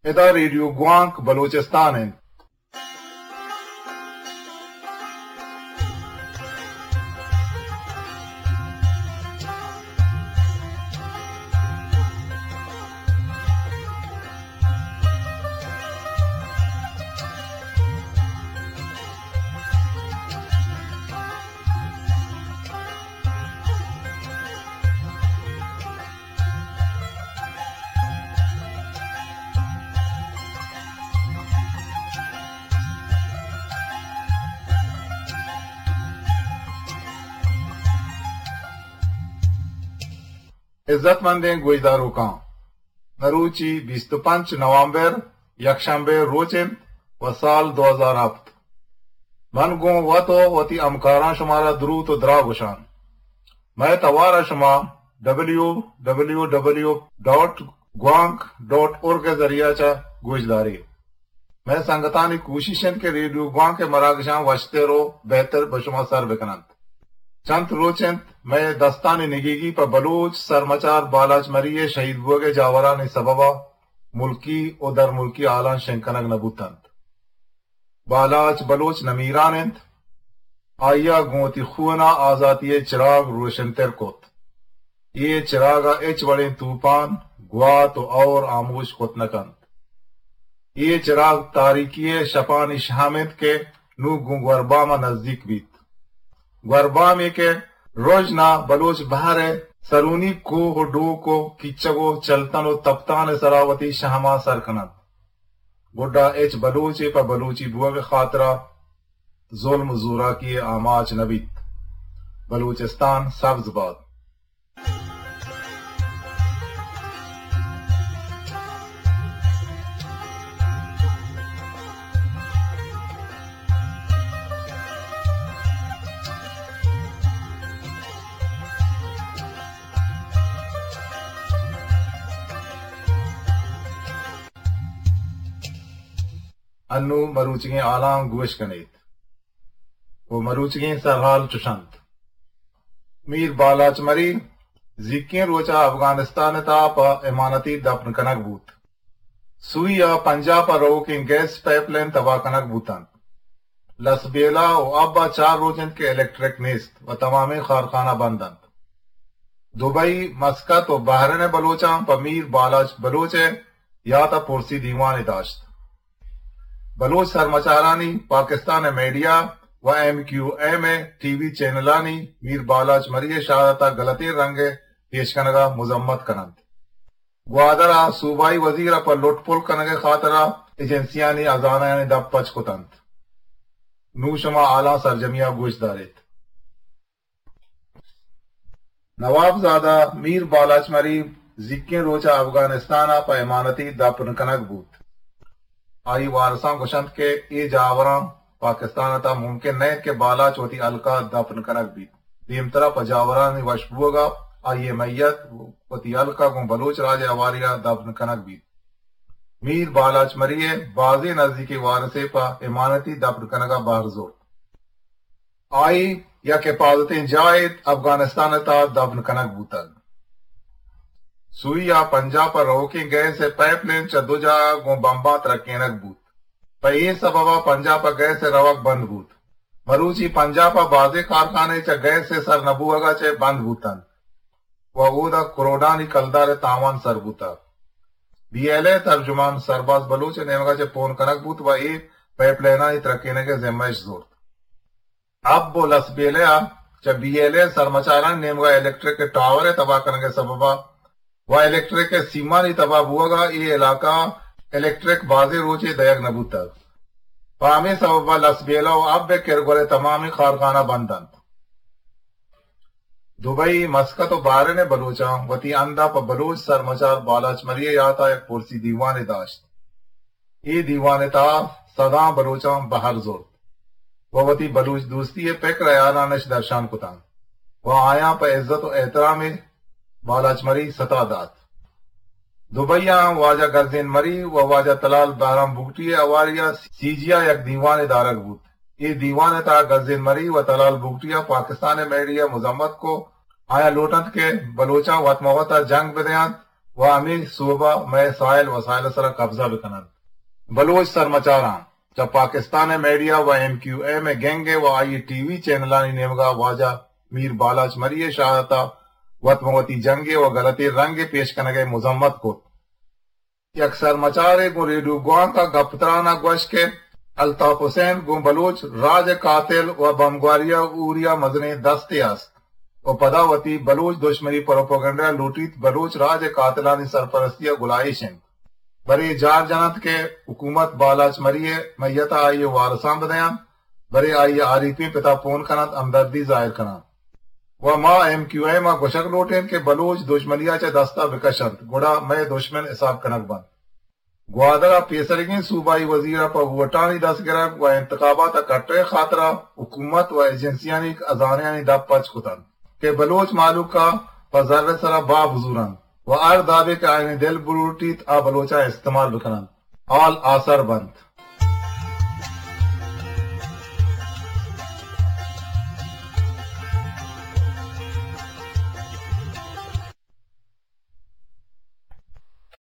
ادا ریڈیو گوانک بلوچستان انت۔ عزت مندیں گوشداروکاں، مروچی بیست و پنچ نومبر، یکشنبے روچ انت و سال دو ہزار ہفت۔ من گوں وت و وتی ہمکاراں شمارا دروت و دراہ گوشان۔ مئے توار ء شما ڈبلیو ڈبلیو ڈبلیو ڈاٹ گوانک ڈاٹ اورگ ء ذریعہ چہ گوشدارے۔ مئے سنگتانی کوشش انت کہ ریڈیو گوانک ء مراگشاں وشتر و بہتر بہ شما سر بکننت۔ چنت روچ انت مئے دستانی نگیگی پہ بلوچ سرمچار بالاچ مری ء شہید بوگ ء جاورانی سبب ء ملکی و درملکی حالاں شنگ کنگ نہ بوتنت۔ بالاچ بلوچ نمیران انت۔ آئی ء گوں وتی خون ء آزاتی ء چراگ روشنتر کت۔ اے چراگ ء ہچ وڑیں توپان، گوات و اور آموش کت نہ کنت۔ اے چراگ تاریکی ء شپانی شہم انت کہ نوں گوں گوربام ء نزیک بیت۔ گوربامے کہ رژن ء بلوچ بہر ء سرونی کوہ و ڈوک و کیچگ و چلتن و تپتان ء سرا وتی شہماں سر کننت۔ گڈا ہچ بلوچے پہ بلوچی بوگ ء خاطرا ظلم و زوراکی ء آماچ نہ بیت۔ بلوچستان سبز بات۔ انوں مروچیگیں حالاں گوش کنیت۔ و مروچیگیں سرحال چش انت۔ میر بالاچ مری زیکیں روچ ء افغانستان ء تہا پہ امانتی دپن کنگ بوت۔ سوئی ء پنجاب ء روکیں گیس پائپ لائن تباہ کنگ بوت انت۔ لسبیلہ و اب ء چار روچ انت کہ الیکٹرک نیست و تمامیں کارخانہ بند انت۔ دبئی، مسقط و بحرین ء بلوچاں پہ میر بالاچ بلوچ ء یات ء پرسی دیوانے داشت۔ بلوچ سرمچارانی پاکستان ء میڈیا و ایم کیو ایم ء ٹی وی چینلانی میر بالاچ مری ء شہادت ء غلطیں رنگ ء پیش کنگ ء مذمت کن انت۔ گوادر ء صوبائی وزیر ء پہ لٹ پل کنگ ء خاطر ء ایجنسیانی ہزانہانی دپ پچ کت انت۔ نوں شما حالاں سرجمی ء گوش داریت۔ نوابزادہ میر بالاچ مری زیکیں روچ ء افغانستان ء پہ امانتی دپن کنگ بوت۔ آئی وارساں گوشنت کہ اے جاوراں پاکستان ء تہ ممکن نہ انت کہ بالاچ وتی ہلک ء دپن کنگ بیت۔ دیمترا پہ جاورانی وش بوگ ء آئی ء میت وتی ہلک ء گوں بلوچ راج ء ہواری ء دپن کنگ بیت۔ میر بالاچ مری ء بازیں نزیکیں وارسے پہ امانتی دپن کنگ ء بہر زرت۔ آئی یک حفاظتیں جاہے افغانستان ء تہا دپن کنگ بوتگ۔ سوئی ء پنجاب ء روکیں گیس ء پائپ لین چہ دو جاہ ء گوں بمباں ترکینگ بوت۔ پہ اے سبب ء پنجاب ء گیس ء روگ بند بوت۔ مروچی پنجاب ء بازیں کارخانے چہ گیس ء سر نہ بوگ ء چہ بند بوت انت و اودا کروڑانی کلدار ء تاوان سر بوتگ۔ بی ایل اے ترجمان سرباز بلوچ ء نیمگ ء چہ پون کنگ بوت و اے پائپ لینانی ترکینگ ء ذمہ اش زرت۔ اب و لسبیلہ ء چہ بی ایل اے سرمچارانی نیمگ ء الیکٹرک ٹاور ء تباہ کنگ ء سبب ء و الیکٹرک ء سیمانی تباہ بوگ ء اے علاقہ ء الیکٹرک بازیں روچے دئیگ نہ بوتگ۔ پہ ہمے سبب ء لسبیلہ و اب ء کرگول ء تمامیں کارخانہ بند انت۔ دبئی، مسقط و بحرین ء بلوچاں وتی ہند ء پہ بلوچ سرمچار بالاچ مری ء یات ء یک پرسی دیوانے داشت۔ اے دیوان ء تہا سداں بلوچاں بہر زرت و وتی بلوچ دوستی ء پکر ء ہیالان اش درشان کتاں و آیاں پہ عزت و احترام ء بالاچ مری ستا دات۔ دبئی ء ہم واجہ گزین مری و واجہ تلال بہرام بگٹی ء ہواری ء سی جی ء یک دیوانے دارگ بوت۔ اے دیوان ء تہا گزین مری و تلال بگٹی ء پاکستان ء میڈیا مذمت کو۔ آیاں لوٹنت کہ بلوچاں وت مہ وت ء جنگ بدیانت و ہمے سوب ءَ مئے ساحل وسائل ءِ سرا قبضہ بہ کن انت۔ بلوچ سرمچاراں چہ پاکستان ءِ میڈیا و ایم کیو ایم ءِ گینگ ءَ و آئی ءِ ٹی وی چینلانی نیمگا واجہ میر بالاچ مری ءِ شہادت ءَ وت ماں وتی جنگے و گلتیں رنگے پیش کنگ ءِ مذمت کت۔ یک سرمچارے گوں ریڈیو گوانک ءَ گپ تران ءَ گوشت کہ الطاف حسین گوں بلوچ راج ءِ قاتل و بمبگواری ءَ اوری ءَ مزنیں دستے است و پدا وتی بلوچ دشمنی پروپیگنڈا لوٹیت بلوچ راج ءِ قاتلانی سرپرستی ءَ گلائیش انت۔ برے جار جننت کہ حکومت بالاچ مری ءِ میت ءَ آئی ءِ وارثاں بدینت، برے آئی ءِ آریپیں پت ءَ پون کننت، ہمدردی ظاہر کننت۔ و ما ایم کیو ایم ءَ گوشگ لوٹیں کہ بلوچ دژمنی ءَ چہ دست ءَ بکش انت، گڑا مئے دژمن حساب کنگ بنت۔ گوادر ءَ پیسریگیں صوبائی وزیر ءَ پہ ووٹانی دست گرگ و انتخابات ءَ کٹگ ءِ خاطر ءَ حکومت و ایجنسیانی ہزانہانی دپ پچ کت انت کہ بلوچ مہلوک ءَ پہ زر ءِ سرا باہ بزور انت و ہر دابے کہ آیانی دل بلوٹیت آ بلوچاں استعمال بکن انت، حال آسر بنت۔